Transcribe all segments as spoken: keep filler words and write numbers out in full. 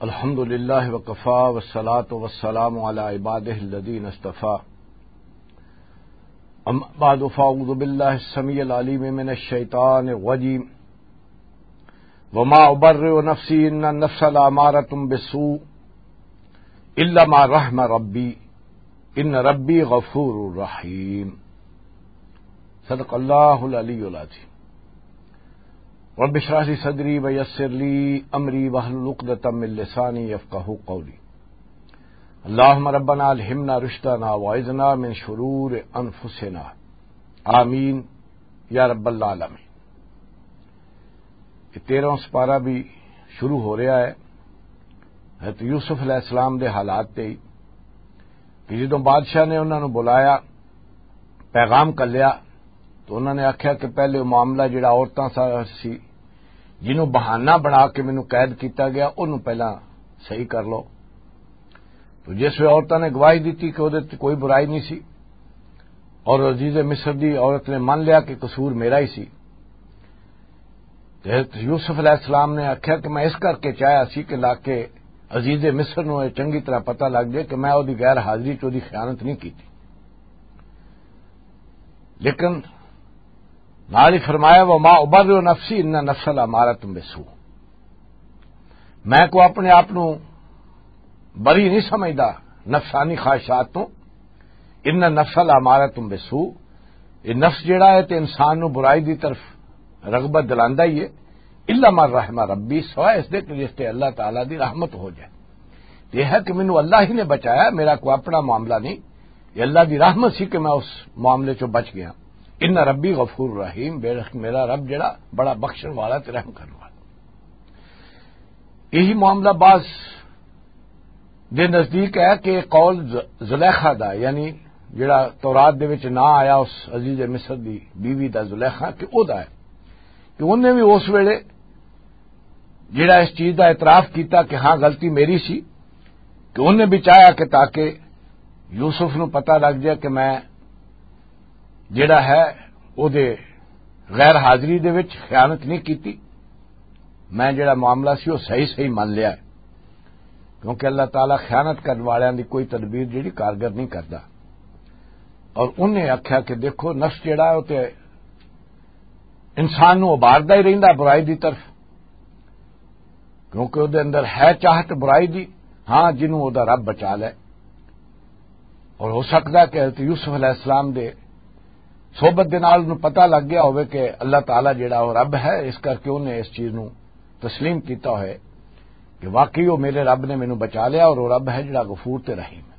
الحمد لله وكفى والصلاة والسلام على عباده الذين اصطفى. أما بعد، فأعوذ بالله السميع العليم من الشيطان الرجيم. وما أبرئ نفسي إن النفس لأمارة بالسوء إلا ما رحم ربي إن ربي غفور رحيم. صدق الله العلي العظيم. رب اشرح لي صدري ويسر لي أمري واحلل عقدة من لساني يفقهوا قولي. اللهم ربنا ألهمنا رشدنا وأعذنا من شرور أنفسنا. آمين يا رب العالمين. یہ تیرہواں سپارہ بھی شروع ہو رہا ہے حضرت یوسف علیہ السلام دے حالات تے ہی، کہ جدوں بادشاہ نے انہاں نوں بلایا، پیغام کلیا، تو انہاں نے آکھیا کہ پہلے وہ معاملہ جڑا عورتاں سا سی، جنوں بہانہ بنا کے مینوں قید کیتا گیا، انہوں پہلاں صحیح کر لو۔ تو جس ویلے عورتاں نے گواہی دتی کہ وہ کوئی برائی نہیں سی، اور عزیز مصر دی عورت نے من لیا کہ قصور میرا ہی سی، تے حضرت یوسف علیہ السلام نے آکھیا کہ میں اس کر کے چاہیا سی کہ لا کے عزیز مصر نوں یہ چنگی طرح پتہ لگ جائے کہ میں وہ دی غیر حاضری چ وہ دی خیانت نہیں کیتی۔ لیکن نال ہی فرمایا، "وما ابرئ نفسی ان نفس الامارۃ بالسوء۔" میں کو اپنے آپ نو بری نہیں سمجھدا نفسانی خواہشات تو۔ ان نفس الامارۃ بالسوء، یہ نفس جڑا ہے تے انسان نو برائی دی طرف رغبت دلاندا ہی ہے۔ الا من رحم ربی، سوائے اس دے کہ جس تے اللہ تعالیٰ دی رحمت ہو جائے۔ یہ ہے کہ مینوں اللہ ہی نے بچایا، میرا کوئی اپنا معاملہ نہیں، یہ اللہ دی رحمت سی کہ میں اس معاملے چوں بچ گیا۔ ان ربی غفور رحیم، بے شک میرا رب جڑا بڑا بخشن والا تے رحم کرن والا۔ یہی معاملہ بعض دے نزدیک ہے کہ قول ز-، زلیخا دا، یعنی جڑا تورات دے وچ نہ آیا اس عزیز مصر دی بیوی دا، زلیخا، کہ او دا ہے کہ انہیں بھی اس ویلے جڑا اس چیز دا اعتراف کیتا کہ ہاں، غلطی میری سی، کہ انہیں بھی چاہیا کہ تاکہ یوسف نو پتہ لگ جائے کہ میں جڑا ہے او دے غیر حاضری دے وچ خیانت نہیں کیتی، میں جڑا معاملہ سی وہ صحیح صحیح من لیا ہے، کیونکہ اللہ تعالیٰ خیانت کرن والیاں دی کوئی تدبیر جڑی کارگر نہیں کردا۔ اور انہیں آکھیا کہ دیکھو، نفس جڑا ہے وہ تے انسان نو ابھاردا ہی رہندا برائی دی طرف، کیونکہ وہ دے اندر ہے چاہت برائی دی، ہاں، جنوں وہ دا رب بچا لے۔ اور ہو سکدا ہے کہ حضرت یوسف علیہ السلام دے صحبت دے نال انہوں پتہ لگ گیا ہوئے کہ اللہ تعالیٰ جڑا وہ رب ہے، اس کر کے انہیں اس چیز نو تسلیم کیتا ہوئے کہ واقعی وہ میرے رب نے مینوں بچا لیا اور وہ رب ہے جڑا غفور تے رحیم ہے۔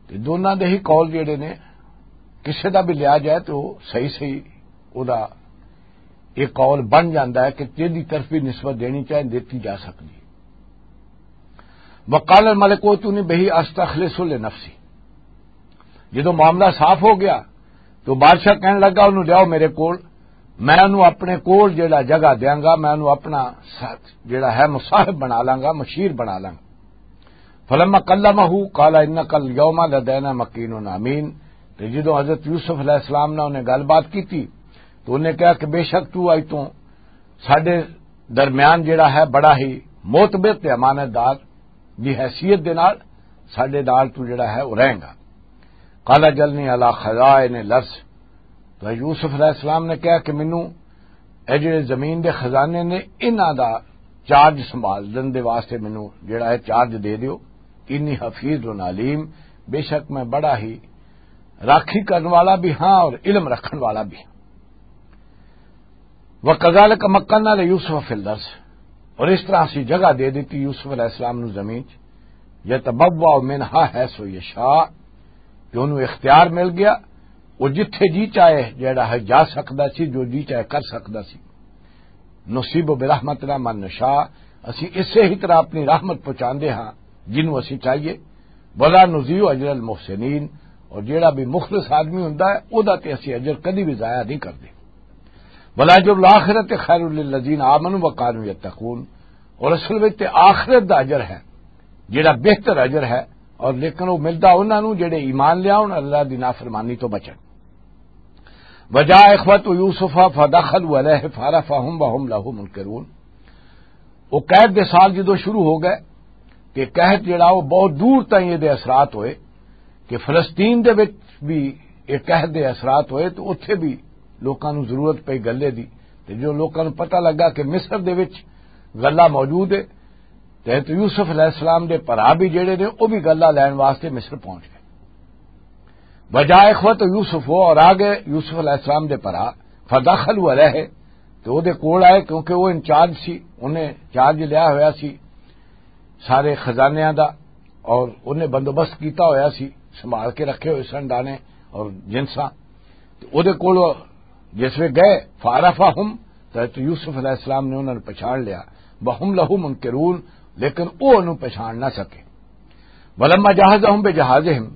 تے دوناں دے ہی قول جڑے نے، کسے دا بھی لیا جائے تو صحیح صحیح او دا یہ قول بن جاندا ہے کہ تیری طرف بھی نسبت دینی چاہے، دیتی جا سکتی۔ وقال الملک اوتونی بہ استخلص لنفسی، جدوں معاملہ صاف ہو گیا تو بادشاہ کہن لگا، "انہوں لیاؤ میرے کول، میں انہوں اپنے کول جڑا جگہ دیاں گا، میں انہوں اپنا ساتھ جڑا ہے مصاحب بنا لاں گا، مشیر بنا لاں گا۔" فلما کلمہ قال انک الیوم لدینا مکین امین۔ تے جدوں حضرت یوسف علیہ السلام نے انہیں گل بات کی تھی تو انہیں کہا کہ بے شک تو اج تو ساڈے درمیان جڑا ہے بڑا ہی معتبر تے امانت دار دی حیثیت دے نال ساڈے نال تو جڑا ہے وہ رہیں گا۔ قال جلنی علی خزائن الارض، تو یوسف علیہ السلام نے کہا کہ مینوں اے جڑے زمین دے خزانے نے، انہاں دا چارج سنبھالن دے واسطے مینوں جڑا ہے چارج دے دیو۔ انی حفیظ علیم، بے شک میں بڑا ہی راکھی کرن والا بھی ہاں اور علم رکھن والا بھی ہاں۔ وَكَذَلِكَ مَكَّنَّا لِيُوسُفَ فِي الْأَرْضِ، اور اس طرح اسی جگہ دے دیتی یوسف علیہ السلام نو زمین چ، يَتَبَوَّأُ مِنْهَا حَيْثُ يَشَاءُ، کہ انہوں اختیار مل گیا، وہ جتھے جی چاہے جڑا ہے جا سکدا سی، جو جی چاہے کر سکدا سی۔ نصیب برحمتنا من نشاء، اسی اسے ہی طرح اپنی رحمت پہنچاندے ہاں جنوں اسی چاہیے۔ ولا نضيع اجر المحسنين، اور جیڑا بھی مخلص آدمی ہوندا ہے، او دا تے اسی اجر کدی بھی ضائع نہیں کردے۔ ولا اجر الآخرۃ خیر للذین آمنوا وکانوا یتقون، اور اصل وچ تے آخرت دا اجر ہے جیڑا بہتر اجر ہے، اور لیکن وہ ملدا انہاں نوں جڑے ایمان لیاون، اللہ دی نافرمانی تو بچن۔ وجاء اخوۃ یوسف فدخلوا علیہ فعرفهم وهم له منکرون۔ وہ قحط دے سال جدوں شروع ہو گئے، کہ قحط جڑا وہ بہت دور تائیں یہ دے اثرات ہوئے، کہ فلسطین دے وچ بھی یہ قحط دے اثرات ہوئے، تو اتھے بھی لوکاں نوں ضرورت پئی غلے دی۔ تے جو لوکاں نوں پتہ لگا کہ مصر دے وچ غلہ موجود ہے، تے حضرت یوسف علیہ السلام دے بھرا بھی جڑے نے، وہ بھی غلہ لین واسطے مصر پہنچ گئے۔ وجاء اخوت یوسف، وہ اور آ گئے یوسف علیہ السلام دے بھرا، فدخلوا علیہ، تے وہ دے کول آئے، کیونکہ وہ انچارج سی، انہیں چارج لیا ہویا سی سارے خزانیاں دا، اور انہیں بندوبست کیتا ہویا سی، سنبھال کے رکھے ہوئے سن دانے اور جنساں۔ تے او دے کول جس وے گئے، فعرفہم، تے حضرت یوسف علیہ السلام نے انہاں نوں پہچان لیا، وہم لہ منکرون، لیکن او انہوں پہچان نہ سکے۔ ولما جہزہم بجہازہم،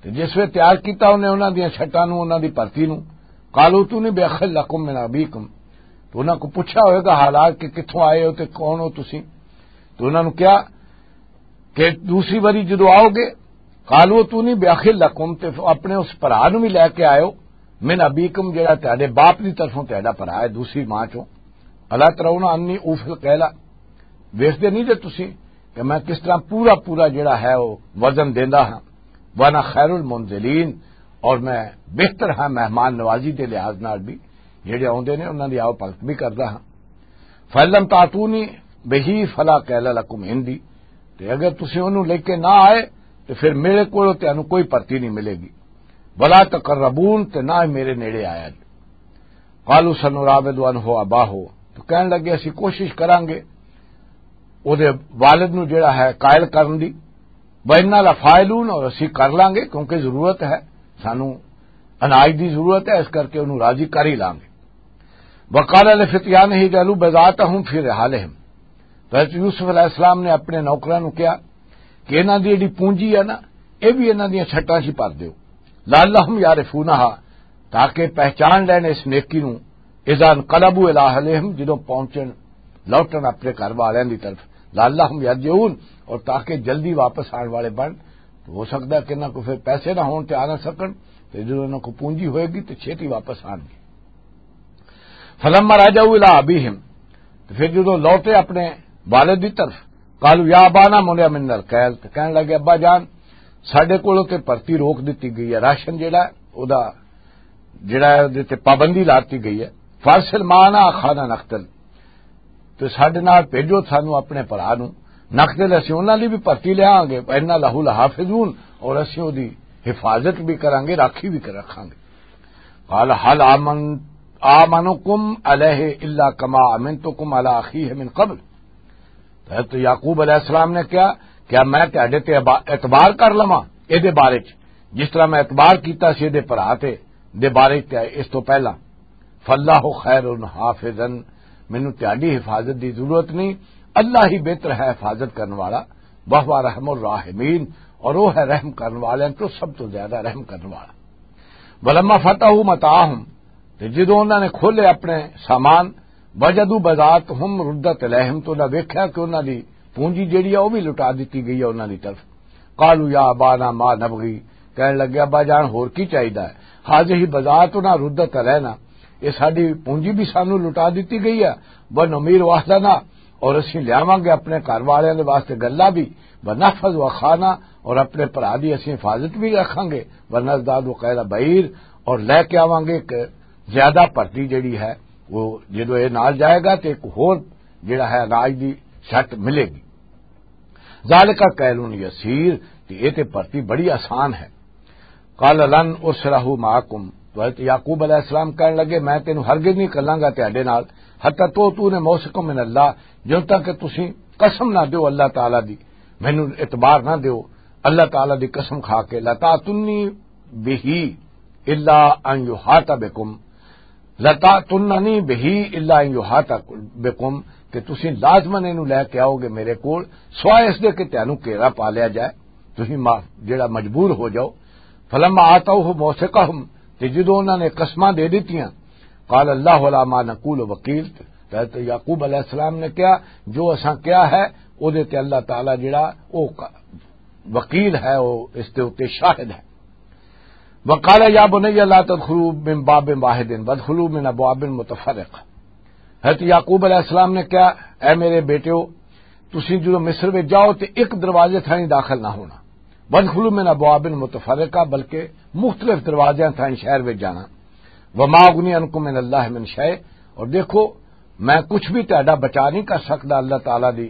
تے جس وے تیار کیتا انہیں انہاں دیاں چھٹاں نوں، انہاں دی بھرتی نوں، قالوا ائتونی باخ لکم من ابیکم، تو انہاں کو پوچھا ہوئے گا حالات کہ کتھوں آئے ہو تے کون ہو تسی، تو انہاں نوں کیا کہ دوسری واری جدوں آؤ گے، قالوا ائتونی باخ لکم، تے اپنے اس بھرا نوں بھی لے کے آئے ہو، من ابیکم، جڑا تہاڈے باپ دی طرفوں تہاڈا بھرا ہے دوسری ماں چوں۔ الا ترون انی اوفی الکیل، ویکھدے نہیں جے تسی کہ میں کس طرح پورا پورا جڑا ہے وہ وزن دیندا ہاں، وانا خیر المنزلین، اور میں بہتر ہاں مہمان نوازی دے لحاظ نال بھی، جڑے آوندے نے انہاں دی آؤ بھگت بھی کردا ہاں۔ فلم تاتونی بہی فلا کیل لکم عندی، تے اگر تسی انہوں لے کے نہ آئے، تے پھر میرے کولوں تانوں کوئی پرتی نہیں ملے گی۔ ولا تقربون، تے نہ ہی میرے نیڑے آیا جی۔ قالوا سنراود عنہ اباہ، تو کہن لگے اسی کوشش کران گے او دے والد نو جڑا ہے قائل کرن دی۔ وانا لفاعلون، اور اسی کر لان گے کیونکہ ضرورت ہے، سانو اناج دی ضرورت ہے، اس کر کے انہوں راضی کر ہی لان گے۔ وقال لفتیانہ اجعلوا بضاعتهم فی رحالہم، تو حضرت یوسف علیہ السلام نے اپنے نوکراں نوں کہا کہ انہاں دی جڑی پونجی ہے نا، اے بھی انہاں دیاں چھٹاں 'چ بھر دیو، لعلہم یعرفونہا، تاکہ پہچان لین اس نیکی نوں، اذا انقلبوا الی اہلہم، جدوں پہنچن، لوٹن اپنے گھر والیاں دی طرف، لعلہم یرجعون، اور تاکہ جلدی واپس آن والے بن۔ تو ہو سکتا ہے کہ انہاں کو پھر پیسے نہ ہون تے آ نہ سکن، تے جدوں انہاں کو پونجی ہوئے گی تے چھیتی واپس آن گے۔ فلما رجعوا الی ابیہم، تو پھر جدوں لوٹے اپنے والد دی طرف، قالوا یا ابانا منع منا الکیل، تو کہن لگے، ابا جان، ساڈے کولوں تے پرتی روک دتی گئی ہے، راشن جڑا ہے، او دا جڑا ہے، اودے تے پابندی لاتی گئی ہے۔ فارسل معنا اخانا نقتل، تو ساڈے نال بھیجو سانو اپنے بھرا نو، نقتل، اسی انہاں دی بھی پرتی لے آواں گے، انا لہ لحافظون، اور اسی اودی حفاظت بھی کراں گے، راکھی بھی کر رکھاں گے۔ قال هل آمن آمنکم علیہ الا کما امنتکم علی اخیہ من قبل۔ تو حضرت یعقوب علیہ السلام نے کہا، کیا میں تہاڈے تے ابا-، اعتبار کر لواں اے دے بارے چ، جس طرح میں اعتبار کیتا سی اے دے بھرا تے دے بارے چ اس تو پہلا؟ فاللہ خیر حافظا، مینوں تہاڈی حفاظت دی ضرورت نہیں، اللہ ہی بہتر ہے حفاظت کرن والا، وہو ارحم الراحمین، اور وہ ہے رحم کرن والے تو سب تو زیادہ رحم کرن والا۔ ولما فتحوا متاعهم، تے جدوں انہاں نے کھولے اپنے سامان، وجدوا بضاعتهم ردت الیہم، تو انہاں ویکھیا کہ انہاں دی پونجی جڑی ہے، وہ بھی لٹا دتی گئی ہے انہاں دی طرف۔ قالوا یا ابانا ما نبغی، کہن لگے، ابا جان، ہور کی چاہیدا ہے؟ هذه بضاعتنا ردت الینا، یہ ساڈی پونجی بھی سانو لٹا دتی گئی ہے۔ ونمیر اہلنا، اور اسی لیاواں گے اپنے گھر والیاں دے واسطے گلا بھی، ونحفظ اخانا، اور اپنے بھرا دی اسی حفاظت بھی رکھاں گے، ونزداد کیل بعیر، اور لے کے آواں گے ایک زیادہ بھرتی جڑی ہے، وہ جدوں یہ نال جائے گا تے ایک ہور جڑا ہے اناج دی شٹ ملے گی۔ ذالک کیل یسیر، تے یہ تے بھرتی بڑی آسان ہے۔ قال لن ارسلہ معکم، تو حضرت یعقوب علیہ السلام کہن لگے، میں تینوں ہرگز نہیں کلاں گا تہاڈے نال، حتی تو تو نے موثقا من اللہ، جن تک کہ تسی قسم نہ دیو اللہ تعالی دی، مینوں اعتبار نہ دیو اللہ تعالی دی قسم کھا کے، لتاتنی بہ الا ان یحاط بکم، لتاتنی بہ الا ان یحاط بکم، کہ تسی لازماً اینوں لے کے آؤ گے میرے کول، سوائے اس دے کہ تینوں گھیرا پا لیا جائے، تسی ما-، جڑا مجبور ہو جاؤ۔ فلما آتوہ موثقہم، تے جدوں انہاں نے قسماں دے دتیاں، قال اللہ علی ما نقول وکیل، تے حضرت یعقوب علیہ السلام نے کہا، جو اساں کہا ہے، او دے تے اللہ تعالی جڑا او ق-، وکیل ہے، او اس دے اُتے شاہد ہے۔ وقال یا بنی لا تدخلوا من باب واحد وادخلوا من ابواب متفرقہ۔ حضرت یعقوب علیہ السلام نے کہا، اے میرے بیٹیو، تسی جدوں مصر وچ جاؤ تے ایک دروازے تھانی داخل نہ ہونا، وادخلوا من ابواب متفرقہ، بلکہ مختلف دروازیاں تھانی شہر وچ جانا۔ وما اغنی عنکم من اللہ من شیء، اور دیکھو، میں کچھ بھی تہاڈا بچا نہیں کر سکدا اللہ تعالیٰ دی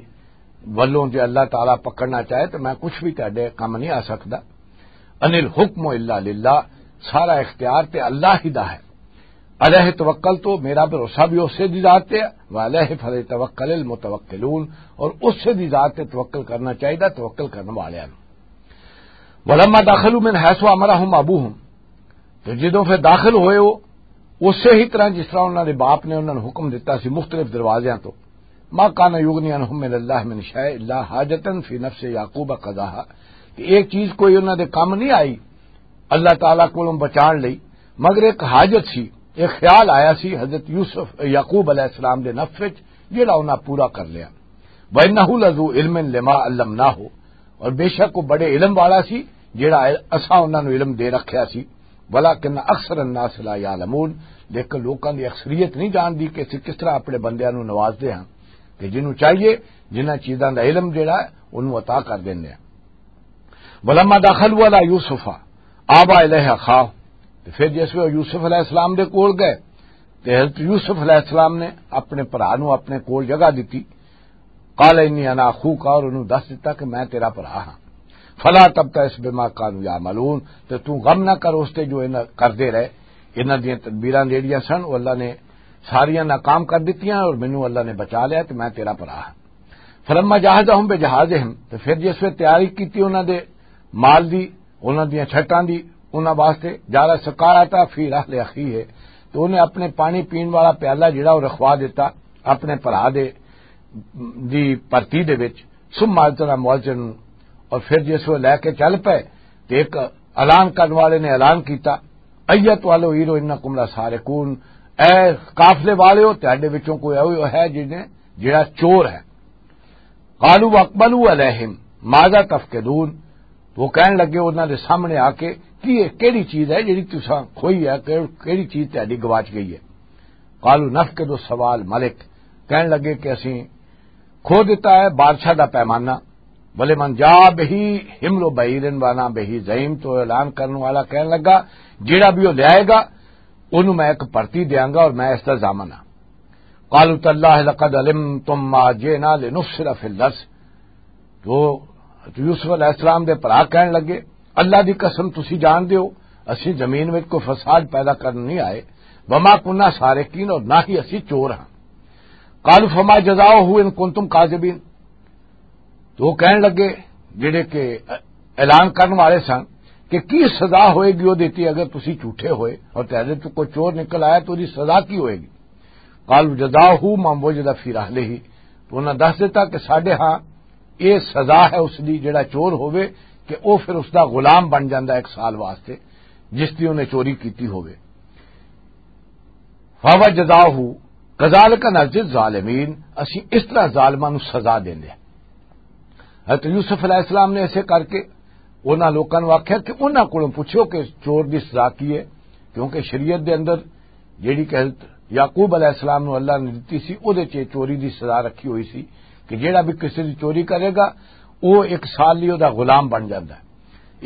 ولوں، جے اللہ تعالیٰ پکڑنا چاہے تو میں کچھ بھی تہاڈے کم نہیں آ سکدا۔ ان الحکم الا للہ، سارا اختیار تے اللہ ہی دا ہے۔ علیہ توکل، تو میرا بھروسہ بھی اسی دی ذات تے ہے، وعلیہ فلیتوکل المتوکلون، اور اسی دی ذات تے توکل کرنا چاہیدا توکل کرن والیاں نوں۔ ولما دخلوا من حیث امرهم ابوهم، تے جدوں پھر داخل ہوئے وہ اسی ہی طرح جس طرح انہاں دے باپ نے انہاں نوں حکم دتا سی مختلف دروازیاں تو۔ ما کان یغنی عنہم من اللہ من شیء الا حاجتا فی نفس یعقوب قضاها، کہ ایک چیز کوئی انہاں دے کم نہیں آئی اللہ تعالیٰ کولوں بچان لئی، مگر ایک حاجت سی، ایک خیال آیا سی حضرت یوسف، یعقوب علیہ السلام دے نفس وچ، جڑا انہاں پورا کر لیا۔ وانہ لذو علم لما علمناہ، اور بے شک وہ بڑے علم والا سی، جڑا اساں انہاں نوں علم دے رکھیا سی۔ ولکن اکثر الناس لا یعلمون، لیکن لوکاں دی اکثریت نہیں جاندی کہ اسی کس طرح اپنے بندیاں نوں نوازدے ہاں، کہ جنوں چاہیے، جنہاں چیزاں دا علم جڑا ہے، انہوں عطا کر دیندے ہاں۔ ولما دخلوا علی یوسف آوی الیہ اخاہ، تے پھر جس ویلے یوسف علیہ السلام دے کول گئے، تے حضرت یوسف علیہ السلام نے اپنے بھرا نوں اپنے کول جگہ دتی۔ قال انی انا اخوک، اور انہوں دس دتا کہ میں تیرا بھرا ہاں۔ فلا تبتئس بما کانوا یعملون، تے تو غم نہ کر اس تے جو انہاں کردے رہے۔ انہاں دیاں تدبیراں جیڑیاں سن، وہ اللہ نے ساریاں ناکام کر دتیاں اور مینوں اللہ نے بچا لیا تے میں تیرا بھرا ہاں۔ فلما جہزهم بجہازهم، تے پھر جس ویلے تیاری کیتی انہاں دے مال دی، انہاں دیاں چھٹاں دی، انہاں واسطے، جعل السقایۃ فی رحل اخیہ، تو انہیں اپنے پانی پین والا پیالہ جڑا وہ رکھوا دیتا اپنے بھرا دے، دی پرتی دے وچ۔ ثم اذن مؤذن، اور پھر جس وہ لے کے چل پے، تے ایک اعلان کرن والے نے اعلان کیتا، ایت والو ایرو انکم لسارقون، اے قافلے والے ہو، تہاڈے وچوں کوئی ایہو ہے جس نے، جڑا چور ہے۔ قالوا واقبلوا علیہم ماذا تفقدون، تو وہ کہن لگے انہاں دے سامنے آ کے، کی یہ کیڑی چیز ہے جڑی تساں کھوئی ہے، کہ-، کیڑی چیز تہاڈی گواچ گئی ہے؟ قالوا نفقد سواء الملک، کہن لگے کہ اسی کھو دیتا ہے بادشاہ دا پیمانہ۔ ولمن جاء بہ حمل بعیر وانا بہ زعیم، تو اعلان کرنے والا کہن لگا، جیڑا بھی وہ لے آئے گا، انہوں میں ایک پرتی دیاں گا اور میں اس دا ضامن ہاں۔ قالوا تاللہ لقد علمتم ما جئنا لنفسد فی الارض، تو یوسف علیہ السلام دے بھرا کہن لگے، اللہ دی قسم، تسی جان دیو، اسی زمین وچ کوئی فساد پیدا کرن نہیں آئے، وما کنا سارقین، اور نہ ہی اسی چور ہاں۔ قالوا فما جزاؤہ ان کنتم کاذبین، تو وہ کہن لگے، جڑے کہ اعلان کرن والے سن، کہ کی سزا ہوئے گی وہ دیتی اگر تسی جھوٹے ہوئے اور تہاڈے تو کوئی چور نکل آیا تو دی سزا کی ہوئے گی؟ قالوا جزاؤہ من وجد فی رحلہ، تو انہاں دس دیتا کہ ساڈے ہاں یہ سزا ہے اس دی، جڑا چور ہوئے کہ او پھر اس دا غلام بن جاندا ہے ایک سال واسطے، جس دی انہیں چوری کیتی ہوئے۔ فہو جزاؤہ کذالک نجزی الظالمین، اسی اس طرح ظالماں نوں سزا دیندے ہیں۔ حضرت یوسف علیہ السلام نے ایسے کر کے انہاں لوکاں نوں آکھیا کہ انہاں کولوں پوچھو کہ چور دی سزا کی ہے، کیونکہ شریعت دے اندر جیڑی کہ حضرت یعقوب علیہ السلام نوں اللہ نے دتی سی، او دے چ چوری دی سزا رکھی ہوئی سی کہ جیڑا بھی کسی دی چوری کرے گا، او ایک سال لئی او دا غلام بن جاندا ہے۔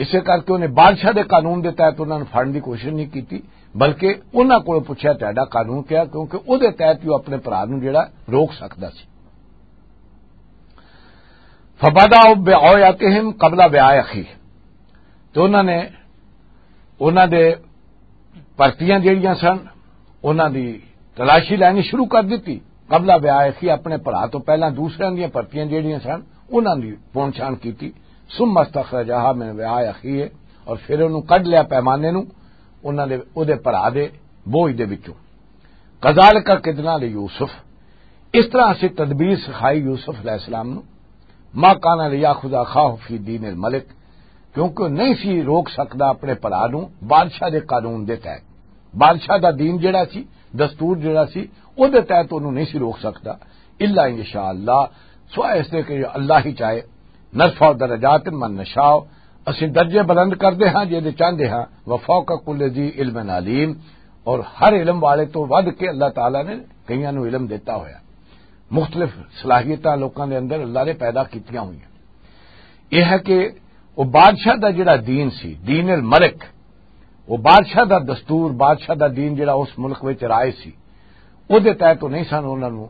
اسے کر کے انہیں بادشاہ دے قانون دے تحت انہاں نوں پھڑن دی کوشش نہیں کیتی، بلکہ انہاں کولوں پوچھیا تہاڈا قانون کیا، کیونکہ او دے تحت ہی او اپنے بھرا نوں جیڑا روک سکدا سی۔ فبدأ بأوعیتہم قبل وعاء اخیہ، تو انہاں نے انہاں دے پرتیاں جیڑیاں سن، انہاں دی تلاشی لینی شروع کر دتی۔ قبل وعاء اخیہ، اپنے بھرا تو پہلاں دوسریاں دیاں پرتیاں جیڑیاں سن، انہاں دی پون چھان کیتی۔ ثم استخرجها من وعاء اخیہ، اور پھر انہوں کڈ لیا پیمانے نوں انہاں دے، او دے بھرا دے بوجھ دے وچوں۔ کذالک کدنا لیوسف، اس طرح سے تدبیر سکھائی یوسف علیہ السلام نوں۔ ما کان لیاخذ اخاہ فی دین الملک، کیونکہ وہ نہیں سی روک سکدا اپنے بھرا نوں بادشاہ دے قانون دے تحت۔ بادشاہ دا دین جڑا سی، دستور جڑا سی، او دے تحت انہوں نہیں سی روک سکدا۔ الا ان یشاء اللہ، سوائے اس دے کہ اللہ ہی چاہے۔ نرفع درجات من نشاء، اسی درجے بلند کردے ہاں جے دے چاہندے ہاں۔ وفوق کل ذی علم علیم، اور ہر علم والے تو ود کے اللہ تعالیٰ نے کئیاں نوں علم دیتا ہویا۔ مختلف صلاحیتاں لوکاں دے اندر اللہ نے پیدا کیتیاں ہوئیاں۔ یہ ہے کہ وہ بادشاہ دا جڑا دین سی، دین الملک، وہ بادشاہ دا دستور، بادشاہ دا دین جڑا اس ملک وچ رائے سی، او دے تحت تو نہیں سن انہاں نوں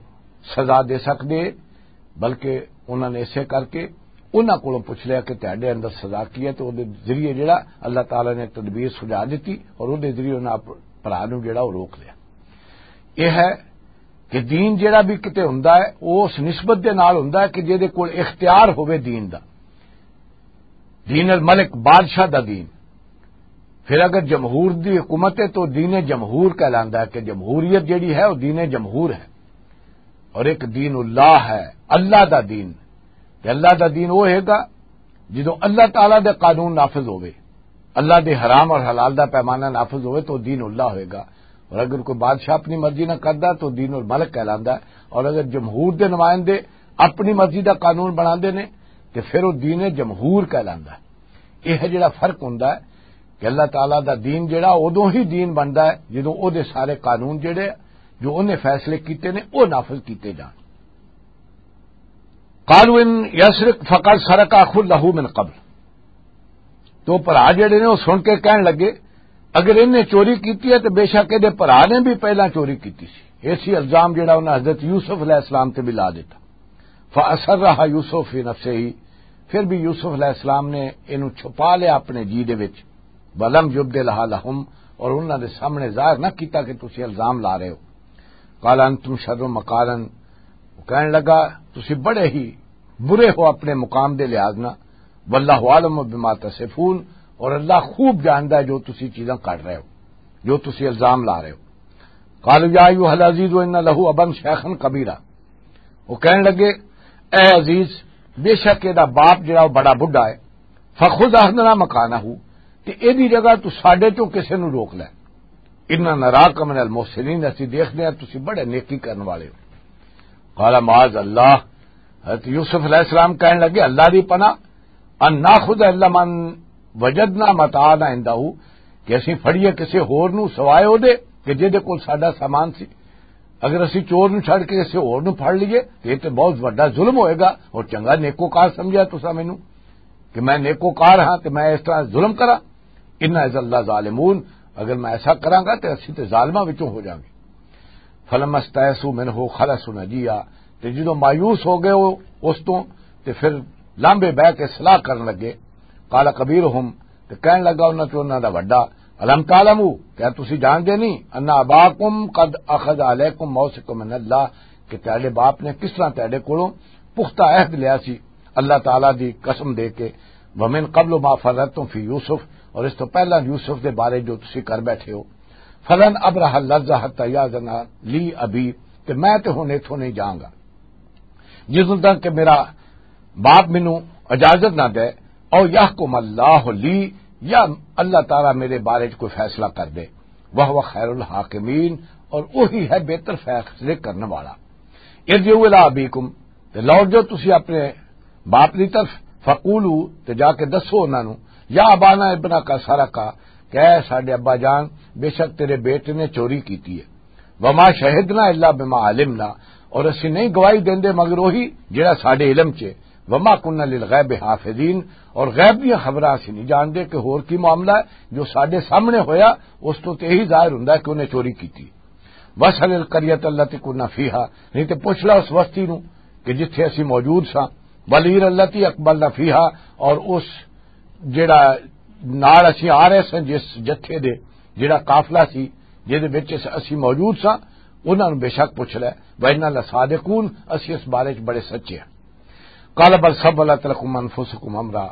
سزا دے سکدے، بلکہ انہاں نے اسے کر کے انہاں کولوں پوچھ لیا کہ تہاڈے اندر سزا کی ہے، تو او دے ذریعے جڑا اللہ تعالیٰ نے تدبیر سجا دتی اور او دے ذریعے انہاں اپ-، بھرا نوں جڑا او روک لیا۔ یہ ہے کہ دین جڑا بھی کتے ہوندا ہے، او اس نسبت دے نال ہوندا ہے کہ جے دے کول اختیار ہوے دین دا، دین الملک، بادشاہ دا دین۔ پھر اگر جمہور دی حکومت ہے تو دین جمہور کہلاندا ہے کہ جمہوریت جڑی ہے وہ دین جمہور ہے۔ اور ایک دین اللہ ہے، اللہ دا دین۔ تے اللہ دا دین وہ ہوئے گا جدوں اللہ تعالیٰ دے قانون نافذ ہوئے، اللہ دے حرام اور حلال دا پیمانہ نافذ ہوئے تو دین اللہ ہوئے گا۔ اور اگر کوئی بادشاہ اپنی مرضی نہ کردا تو دین الملک کہلاندا ہے۔ اور اگر جمہور دے نمائندے اپنی مرضی دا قانون بناندے نے تے پھر وہ دین جمہور کہلاندا ہے۔ یہ ہے جڑا فرق ہوندا ہے کہ اللہ تعالیٰ دا دین جڑا ادوں ہی دین بندا ہے جدوں او دے سارے قانون جڑے جو انہیں فیصلے کیتے نے او نافذ کیتے جان۔ قالوا ان يسرق فقد سرق اخ له من قبل۔ تو بھرا جڑے نے وہ سن کے کہن لگے، اگر انہیں چوری کیتی ہے تو بے شک یہ بھرا نے بھی پہلا چوری کیتی سی۔ ایسی الزام جڑا انہاں حضرت یوسف علیہ السلام تے بھی لا دیتا۔ فاسرها یوسف فی نفسہ، پھر بھی یوسف علیہ السلام نے اینوں چھپا لیا اپنے جی دے وچ۔ ولم یبدلها لهم، اور انہاں دے سامنے ظاہر نہ کیتا کہ تسی الزام لا رہے ہو۔ قال انتم شر مکانا، وہ کہنے لگا، تسی بڑے ہی برے ہو اپنے مقام دے لحاظ نہ۔ واللہ عالم بما تصفون، اور اللہ خوب جاندا ہے جو تسی چیزاں کر رہے ہو، جو تسی الزام لا رہے ہو۔ قالوا یا ایھا العزیز ان له ابا شیخا کبیرا، وہ کہنے لگے، اے عزیز، بے شک یہ باپ جڑا وہ بڑا بڈھا ہے، فخذ احدنا مکانہ، تے ایدی جگہ تو ساڈے چوں کسے نو روک لے۔ انا نراک من المحسنین، اسی دیکھنے ہیں تسی بڑے نیکی کرن والے ہو۔ قال معاذ اللہ، حضرت یوسف علیہ السلام کہنے لگے، اللہ دی پناہ، ان ناخذ الا من وجدنا متاعنا عندہ، کہ اسی پھڑیے کسے ہور نو سوائے او دے کہ جے دے کول ساڈا سامان سی۔ اگر اسی چور نو چھڑ کے کسے ہور نو پھڑ لیے تے یہ تے بہت وڈا ظلم ہوئے گا۔ اور چنگا نیکوکار سمجھا تسا مینوں کہ میں نیکوکار ہاں تے میں اس طرح ظلم کراں؟ انا اذا لظالمون، اگر میں ایسا کراں گا تے اسی تے ظالماں وچوں ہو جاواں گے۔ فلما استیئسوا منه خلصوا نجیا، تے جدوں مایوس ہو گئے وہ اس تو، تے پھر لامبے بہ کے صلاح کرن لگے۔ قال کبیرهم، تے کہن لگا انہاں چوں انہاں دا وڈا، الم تعلموا، کیا تسی جانتے نہیں، ان اباکم قد اخذ علیکم موثقا من اللہ، کہ تہاڈے باپ نے کس طرح تہاڈے کولوں پختہ عہد لیا سی اللہ تعالیٰ دی قسم دے کے، ومن قبل ما فرطتم فی یوسف، اور اس تو پہلا یوسف دے بارے جو تسی کر بیٹھے ہو، فلن ابرح الارض حتی یاذن لی ابی، تے میں تے ہن ایتھوں نہیں جاؤں گا جدوں تک کہ میرا باپ مینوں اجازت نہ دے، او یحکم اللہ لی، یا اللہ تعالیٰ میرے بارے چ کوئی فیصلہ کر دے، وہو خیر الحاکمین، اور وہی ہے بہتر فیصلے کرنے والا۔ ارجعوا الی ابیکم، تے لوٹ جاؤ تسی اپنے باپ دی طرف، فقولوا، تے جا کے دسو انہاں نوں، یا ابانا ابنک سرق، کہ اے ساڈے ابا جان، بے شک تیرے بیٹے نے چوری کیتی ہے۔ وما شہدنا الا بما علمنا، اور اسی نہیں گواہی دیندے مگر وہی جڑا ساڈے علم چ ہے۔ وما کنا للغیب حافظین، اور غیب دیاں خبراں اسی نہیں جاندے کہ ہور کی معاملہ ہے، جو ساڈے سامنے ہویا اس تو تے یہی ظاہر ہوندا ہے کہ انہیں چوری کیتی۔ واسأل القریۃ التی کنا فیہا، نہیں تے پوچھ لو اس وستی نو کہ جتھے اسی موجود ساں، والعیر التی اقبلنا فیہا، اور اس جڑا نال اسی آ رہے ساں جس جتھے دے، جڑا قافلہ سی جس دے وچ اس-، اسی موجود ساں، انہاں نو بے شک پوچھ لے۔ وَإِنَّا لَصَادِقُونَ، اسی اس بارے چ بڑے سچے ہیں۔ قال بل سولت لکم انفسکم امرا،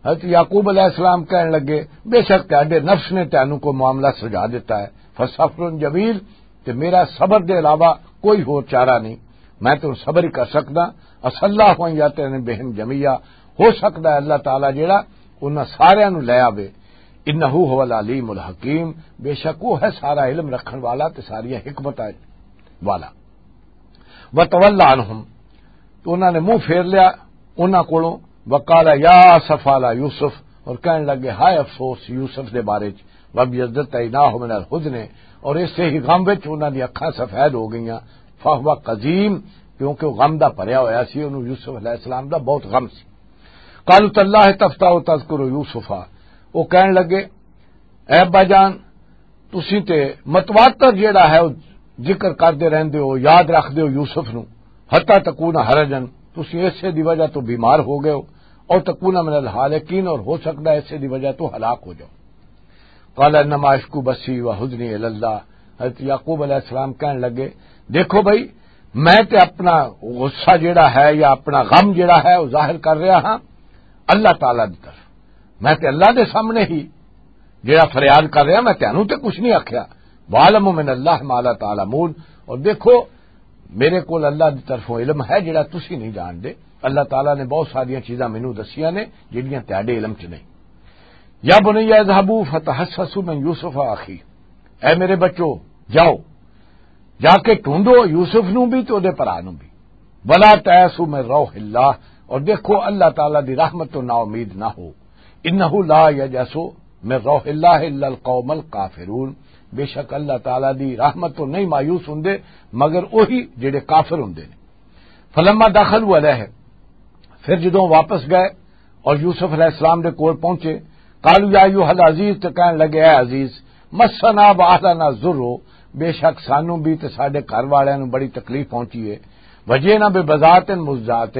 حضرت یعقوب علیہ السلام کہن لگے، بے شک تہاڈے نفس نے تانوں کوئی معاملہ سجا دیتا ہے۔ فصبر جمیل، تے میرا صبر دے علاوہ کوئی ہور چارہ نہیں، میں تو صبر ہی کر سکدا۔ عسى الله أن يأتيني بهم جميعا، ہو سکدا ہے اللہ تعالیٰ جیڑا انہاں ساریاں نوں لے آوے۔ انه هو العلیم الحکیم، بے شک وہ ہے سارا علم رکھن والا تے ساریاں حکمتاں والا۔ وتول عنهم، تو انہاں نے منہ پھیر لیا انہاں کولوں۔ وقال یا اسفا علی یوسف، اور کہن لگے ہائے افسوس یوسف دے بارے چ۔ فَابْيَضَّتْ عَيْنَاهُ مِنَ الْحُزْنِ، اور اس سے ہی غم وچ انہاں دی اکھاں سفید ہو گئیاں۔ فَهُوَ كَظِيمٌ، کیونکہ وہ غم دا بھریا ہویا سی، انہوں یوسف علیہ السلام دا بہت غم سی۔ قَالُوا تَاللَّهِ تَفْتَأُ تَذْكُرُ يُوسُفَ، وہ کہن لگے، اے ابا جان، تسی تے متواتر جیڑا ہے، او ذکر کردے رہندے ہو، یاد رکھدے ہو یوسف نو، حتی تکون حرجن، تسی اسے دی وجہ تو بیمار ہو گئے ہو، اور تکون من الحالکین، اور ہو سکدا ہے اسے دی وجہ تو ہلاک ہو جاؤ۔ قال انما اشکو بثی و حزنی الی اللہ۔ حضرت یعقوب علیہ السلام کہن لگے، دیکھو بھائی، میں تے اپنا غصہ جیڑا ہے یا اپنا غم جیڑا ہے، وہ ظاہر کر رہا ہاں اللہ تعالیٰ دی طرف۔ میں تے اللہ دے سامنے ہی جیڑا فریاد کر رہا، میں تینوں تے کچھ نہیں آکھیا۔ وَأَعْلَمُ مِنَ اللَّهِ مَا لَا تَعْلَمُونَ۔ اور دیکھو، میرے کول اللہ دی طرفوں علم ہے جیڑا تسی نہیں جان دے۔ اللہ تعالیٰ نے بہت ساریاں چیزاں مینوں دسیاں نے جیڑیاں تہاڈے علم چ نہیں۔ یا بنی اذهبوا فتحسسوا من یوسف و اخی، اے میرے بچو، جاؤ، جا کے ڈھونڈو یوسف نو بھی تے اودے بھرا نو بھی۔ ولا تیأسوا من روح اللہ، اور دیکھو اللہ تعالیٰ دی رحمت تو نا امید نہ ہو۔ انہ لا ییأس من روح اللہ الا القوم الکافرون، بے شک اللہ تعالیٰ دی رحمت تو نہیں مایوس ہوندے مگر وہی جڑے کافر ہوندے نے۔ فلما دخلوا علیہ، پھر جدوں واپس گئے اور یوسف علیہ السلام دے کول پہنچے، قالوا یا ایھا العزیز، تے کہن لگے، اے عزیز، مسنا و اہلنا الضر، بے شک سانوں بھی تے ساڈے گھر والیاں نوں بڑی تکلیف پہنچی ہے، وجئنا ببضاعۃ مزجاۃ،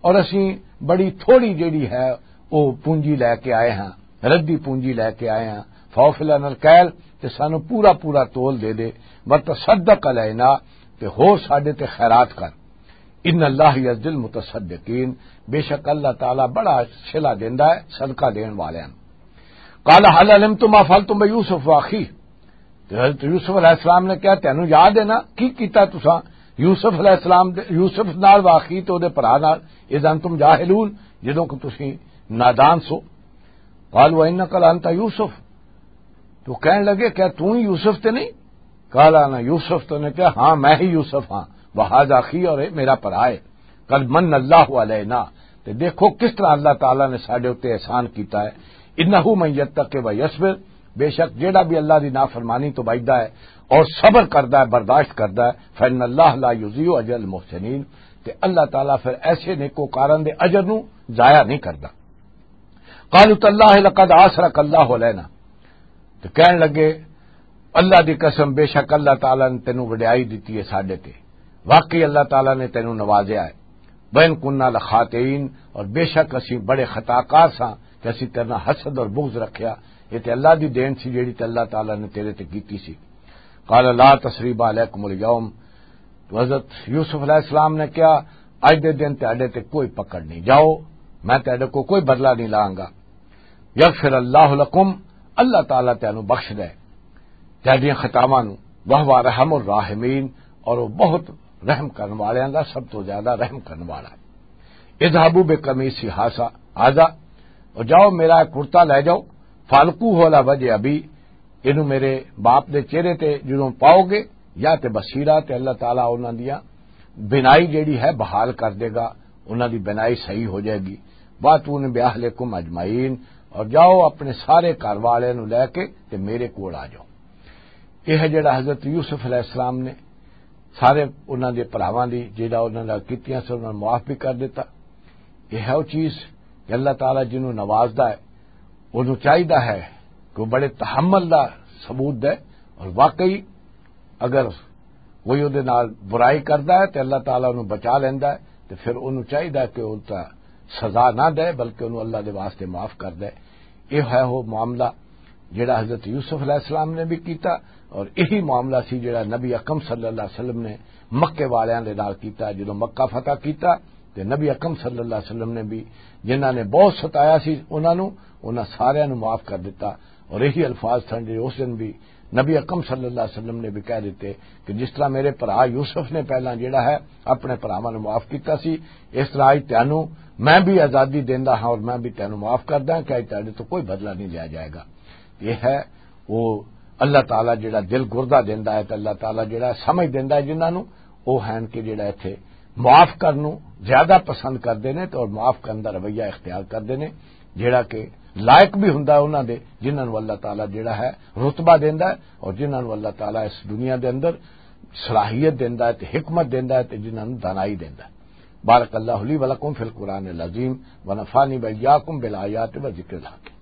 اور اسیں بڑی تھوڑی جیڑی ہے او پونجی لے کے آئے ہاں، ردی پونجی لے کے آئے ہاں، فاوف لنا الکیل، تے سانوں پورا پورا تول دے دے، وتصدق علینا، تے ہور ساڈے تے خیرات کر۔ ان اللہ یجزی المتصدقین، بے شک اللہ تعالیٰ بڑا صلہ دیندا ہے صدقہ دین والیاں نوں۔ قال هل علمتم ما فعلتم بیوسف واخیہ؟ تے حضرت یوسف علیہ السلام نے کہا، تینوں یاد ہے نا کی کیتا تساں یوسف علیہ السلام دے، یوسف نال واخی تے اودے بھرا نال؟ اذ انتم جاہلون، جدوں کہ تسی نادان سو۔ قالوا انک لانت یوسف، تو کہن لگے، کیا تو ہی یوسف تے نہیں؟ قال انا یوسف، تو نے کہا، ہاں، میں ہی یوسف ہاں۔ وہذا اخی، اور یہ میرا بھرا ہے۔ قد من اللہ علینا، تے دیکھو کس طرح اللہ تعالیٰ نے ساڈے اُتے احسان کیتا ہے۔ انہ من یتق و یصبر، بے شک جیڑا بھی اللہ دی نافرمانی تو بچدا ہے اور صبر کردا ہے، برداشت کردا ہے، فإن اللہ لا یضیع اجر المحسنین، تے اللہ تعالیٰ پھر ایسے نیکوکاراں دے اجر نو ضائع نہیں کردا۔ قالوا تاللہ لقد آثرک اللہ علینا، تے کہن لگے، اللہ دی قسم، بے شک اللہ تعالیٰ نے تینوں وڈیائی دتی ہے ساڈے تے، واقعی اللہ تعالیٰ نے تینوں نوازیا ہے۔ وَإِن كُنَّا لَخَاطِئِينَ، اور بے شک اسی بڑے خطا کار ساں کہ اسی تیرے نال حسد اور بغض رکھیا۔ یہ تے اللہ دی دین سی جیڑی تے اللہ تعالیٰ نے تیرے تے کیتی سی۔ قال لا تثریب علیکم الیوم، تو حضرت یوسف علیہ السلام نے کہا، اج دے دن تہاڈے تے کوئی پکڑ نہیں، جاؤ، میں تہاڈے کو کوئی بدلہ نہیں لاں گا۔ یغفر اللہ لکم، اللہ تعالیٰ تینوں بخش دے تہاڈیاں خطاواں نوں، وہو ارحم الراحمین، اور وہ بہت رحم کرن والیاں دا سب تو زیادہ رحم کرن والا ہے۔ اذهبوا بقمیصی ھذا، ھذا، اور جاؤ میرا ایک کرتا لے جاؤ، فالقوہ علی وجہ ابی، اینوں میرے باپ دے چہرے تے جدوں پاؤ گے، یا تے بصیرہ، تے اللہ تعالیٰ انہاں دیاں بینائی جیڑی ہے بحال کر دے گا، انہاں دی بینائی صحیح ہو جائے گی۔ واتونی باہلکم اجمعین، اور جاؤ اپنے سارے گھر والے نو لے کے تے میرے کول آ جاؤ۔ یہ ہے جڑا حضرت یوسف علیہ السلام نے سارے انہاں دے بھراواں دی جڑا انہاں نال کیتیاں سن، انہاں نوں معاف بھی کر دیتا۔ یہ ہے وہ چیز کہ اللہ تعالیٰ جنوں نوازدا ہے، انہوں چاہیدا ہے کہ وہ بڑے تحمل دا ثبوت دے، اور واقعی اگر کوئی اودے نال برائی کردا ہے تے اللہ تعالیٰ انہوں بچا لیندا ہے، تے پھر انہوں چاہیدا ہے کہ وہ تا سزا نہ دے، بلکہ انہوں اللہ دے واسطے معاف کر دے۔ یہ ہے وہ معاملہ جڑا حضرت یوسف علیہ السلام نے بھی کیتا، اور یہی معاملہ سی جڑا نبی اکرم صلی اللہ علیہ وسلم نے مکے والیاں دے نال کیتا۔ جدوں مکہ فتح کیتا تے نبی اکرم صلی اللہ علیہ وسلم نے بھی، جنہاں نے بہت ستایا سی انہاں نوں، انہاں ساریاں نوں معاف کر دیتا۔ اور یہی الفاظ سن جو اس دن بھی نبی اکرم صلی اللہ علیہ وسلم نے بھی کہہ دیتے کہ جس طرح میرے بھرا یوسف نے پہلاں جڑا ہے اپنے بھراواں نوں معاف کیتا سی، اس طرح اج تینوں میں بھی آزادی دیندا ہاں اور میں بھی تینوں معاف کردا ہاں کہ اج تیرے تو کوئی بدلہ نہیں لیا جائے گا۔ یہ ہے وہ اللہ تعالیٰ جڑا دل گردہ دیندا ہے تے اللہ تعالیٰ جڑا سمجھ دیندا ہے جنہاں نوں، وہ ہیں کہ جڑا ایتھے معاف کرن نوں زیادہ پسند کردے نے تے اور معاف کرن دا رویہ اختیار کردے نے۔ جڑا کہ لائق بھی ہوندا ہے انہاں دے، جنہاں نوں اللہ تعالیٰ جڑا ہے رتبہ دیندا ہے، اور جنہاں نوں اللہ تعالیٰ اس دنیا دے اندر صلاحیت دیندا ہے تے حکمت دیندا ہے تے جنہاں نوں دانائی دیندا ہے۔ بارک اللہ لی ولکم فی القرآن العظیم، ونفعنی وإیاکم بالآیات و ذکر الحکیم۔